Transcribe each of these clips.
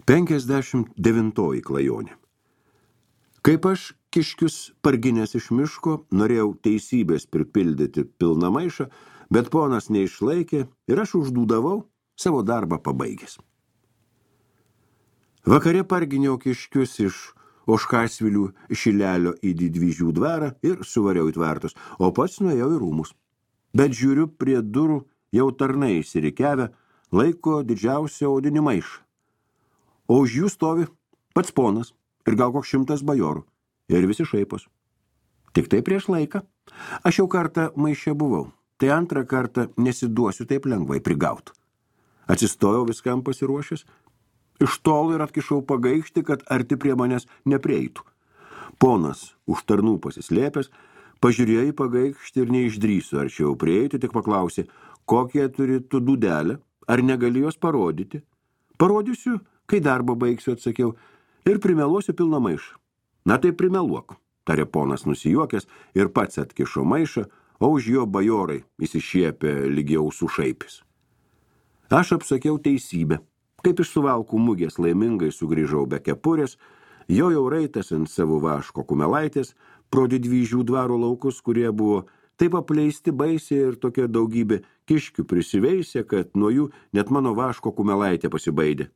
59 klajonė. Kaip aš kiškius parginęs iš miško, norėjau teisybės pripildyti pilną maišą, bet ponas neišlaikė ir aš uždūdavau savo darbą pabaigęs. Vakare parginiau kiškius iš Ožkasvilių Šilelio į Didvyžių dvarą ir suvariau į tvartus, o pats nuėjau į rūmus. Bet žiūriu, prie durų jau tarnai įsirikiavę, laiko didžiausią odinį maišą. O už jų stovi pats ponas ir gal koks 100 bajorų. Ir visi šaipos. Tik tai prieš laiką. Aš jau kartą maiše buvau, tai antrą kartą nesiduosiu taip lengvai prigaut. Atsistojau viskam pasiruošęs, iš tolo ir atkišau pagaikštį, kad arti prie manęs neprieitų. Ponas už tarnų pasislėpęs, pažiūrėjo į pagaikštį ir neišdrįsiu arčiau prieiti, tik paklausė, kokie turi tu dūdelę, ar negali jos parodyti. Parodysiu, kai darbą baigsiu, atsakiau, ir primeluosiu pilną maišą. Na tai primeluok, tarė ponas nusijuokęs ir pats atkišo maišą, o už jo bajorai įsišiepė lygiau su šaipis. Aš apsakiau teisybę. Kaip iš Suvalkų mugės laimingai sugrįžau be kepurės, jojau raitas ant savo vaško kumelaitės pro Didvyžių dvaro laukus, kurie buvo taip apleisti baisiai ir tokia daugybė kiškių prisiveisė, kad nuo jų net mano vaško kumelaitė pasibaidė.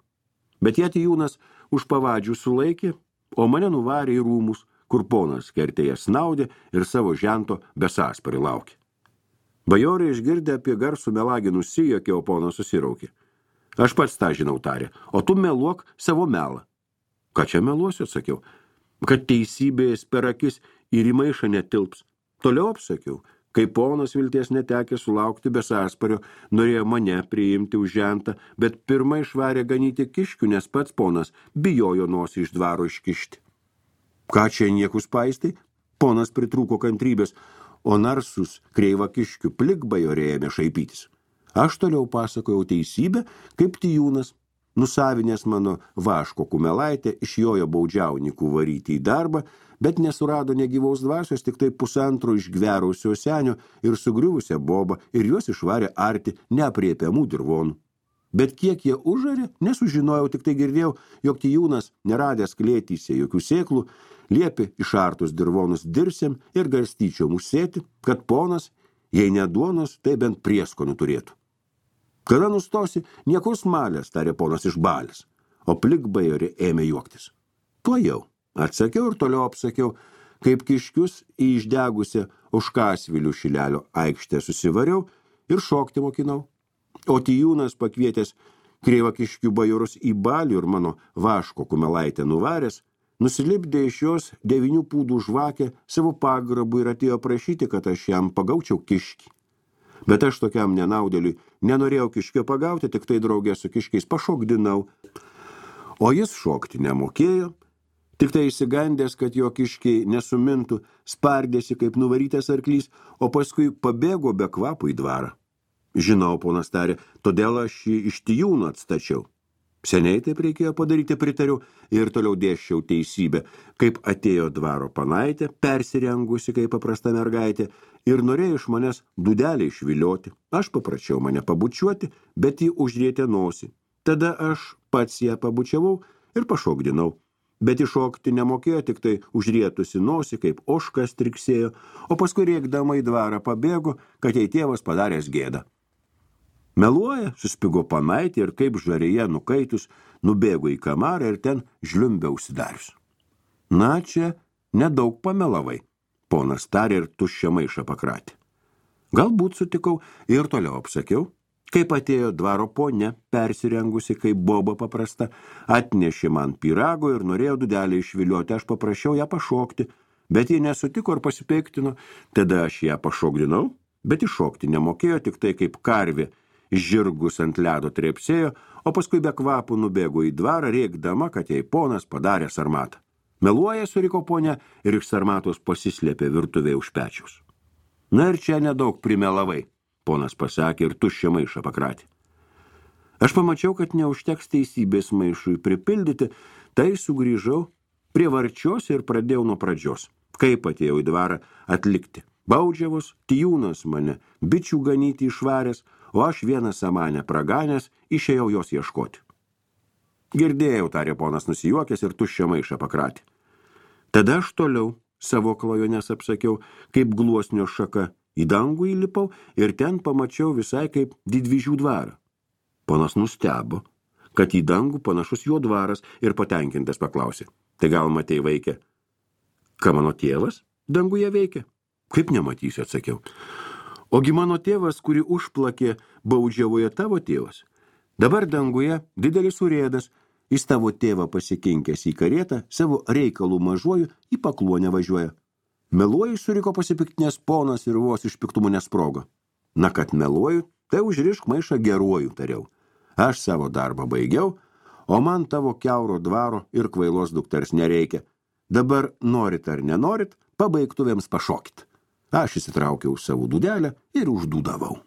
Bet Jatijūnas už pavadžių sulaikė, o mane nuvarė į rūmus, kur ponas kertėje snaudė ir savo žento besąsparį laukė. Bajorai išgirdę apie garsų melagį nusijuokė, o ponas susiraukė. Aš pats tą žinau, tarė, o tu meluok savo melą. Ką čia meluosiu, atsakiau, kad teisybės per akis ir į maišą netilps. Toliau apsakiau, kai ponas vilties netekė sulaukti besąspario, norėjo mane priimti už žentą, bet pirmą išvarė ganyti kiškių, nes pats ponas bijojo nosį iš dvaro iškišti. Ką čia niekus paistai? Ponas pritrūko kantrybės, o narsus kreivą kiškių plikbajorė ėmė šaipytis. Aš toliau pasakojau teisybę, kaip Tijūnas, nusavinęs mano vaško kumelaitę, išjojo baudžiaunikų varyti į darbą, bet nesurado negyvaus dvasios, tik tai 1,5 išgverausio senio ir sugriuvusią bobą, ir juos išvarė arti neapriepiamų dirvonų. Bet kiek jie užarė, nesužinojau, tik tai girdėjau, jog Tijūnas, neradęs klėtyse jokių sėklų, liepė išartus dirvonus dirsėm ir garstyčiom užsėti, kad ponas, jei ne duonos, tai bent prieskonių turėtų. Kada nustosi, niekur smalės, tarė ponas iš balės, o plikbajorė ėmė juoktis. Tuo jau, atsakiau ir toliau apsakiau, kaip kiškius į išdegusią Ožkasvilių Šilelio aikštę susivariau ir šokti mokinau. O Tijūnas pakvietęs kreivą kiškių bajorus į balių ir mano vaško kumelaitę nuvaręs, nusilipdė iš jos 9 pūdų žvakę savo pagrabų ir atėjo prašyti, kad aš jam pagaučiau kiškį. Bet aš tokiam nenaudėliui nenorėjau kiškio pagauti, tik tai draugė su kiškiais pašokdinau. O jis šokti nemokėjo, tik tai išsigandęs, kad jo kiškiai nesumintų, spardėsi kaip nuvarytas arklys, o paskui pabėgo be kvapų į dvarą. Žinau, ponas tarė, todėl aš jį iš Tijūno atstačiau. Seniai taip reikėjo padaryti, pritariu, ir toliau dėsčiau teisybę, kaip atėjo dvaro panaitė, persirengusi kaip paprasta mergaitė, ir norėjo iš manęs dūdelį išvilioti. Aš paprašiau mane pabučiuoti, bet jį užrietė nosį. Tada aš pats ją pabučiavau ir pašokdinau. Bet iššokti nemokėjo, tik tai užrietusi nosį, kaip ožkas triksėjo, o paskui rėkdama į dvarą pabėgo, kad jai tėvas padaręs gėdą. Meluoja, suspigo panaitė ir kaip žarėje nukaitus, nubėgo į kamarą ir ten žliumbė užsidarius. Na, čia nedaug pamelavai, ponas tarė ir tuščią maišą pakratė. Galbūt sutikau ir toliau apsakiau, kaip atėjo dvaro ponia, persirengusi kaip boba paprasta, atnešė man pyrago ir norėjo dūdelį išvilioti, aš paprašiau ją pašokti, bet ji nesutiko ir pasipeiktino, tada aš ją pašokdinau, bet iššokti nemokėjo, tik tai kaip karvė, žirgus ant ledo trepsėjo, o paskui be kvapų nubėgo į dvarą, rėkdama, kad jai ponas padarė sarmatą. Meluoja, suriko ponia, ir iš sarmatos pasislėpė virtuvėje už pečiaus. Na ir čia nedaug primelavai, ponas pasakė ir tuščią maišą pakratė. Aš pamačiau, kad neužteks teisybės maišui pripildyti, tai sugrįžau prie varčios ir pradėjau nuo pradžios. Kaip atėjau į dvarą atlikti? Baudžiavos, Tijūnas mane bičių ganyti išvaręs, o aš vieną samanę praganęs išėjau jos ieškoti. Girdėjau, tarė ponas nusijuokęs ir tuščią maišą pakratė. Tada aš toliau savo klajones apsakiau, kaip gluosnio šaka į dangų įlipau ir ten pamačiau visai kaip Didvyžių dvarą. Ponas nustebo, kad į dangų panašus jo dvaras ir patenkintas paklausė. Tai gal matei, vaikė? Ką mano tėvas danguje veikia? Kaip nematysiu, atsakiau. Ogi mano tėvas, kurį užplakė baudžiavoje tavo tėvas. Dabar danguje didelis urėdas, jis tavo tėvą pasikinkęs į karietą, savo reikalų mažuoju į Pakluonę važiuoja. Meluoju, suriko pasipiktinės ponas ir vos iš piktumų nesprogo. Na, kad meluoju, tai užrišk maišą geruoju, tariau. Aš savo darbą baigiau, o man tavo kiauro dvaro ir kvailos dukters nereikia. Dabar norit ar nenorit, pabaigtuvėms pašokit. Aš įsitraukiau savo dūdelę ir uždūdavau.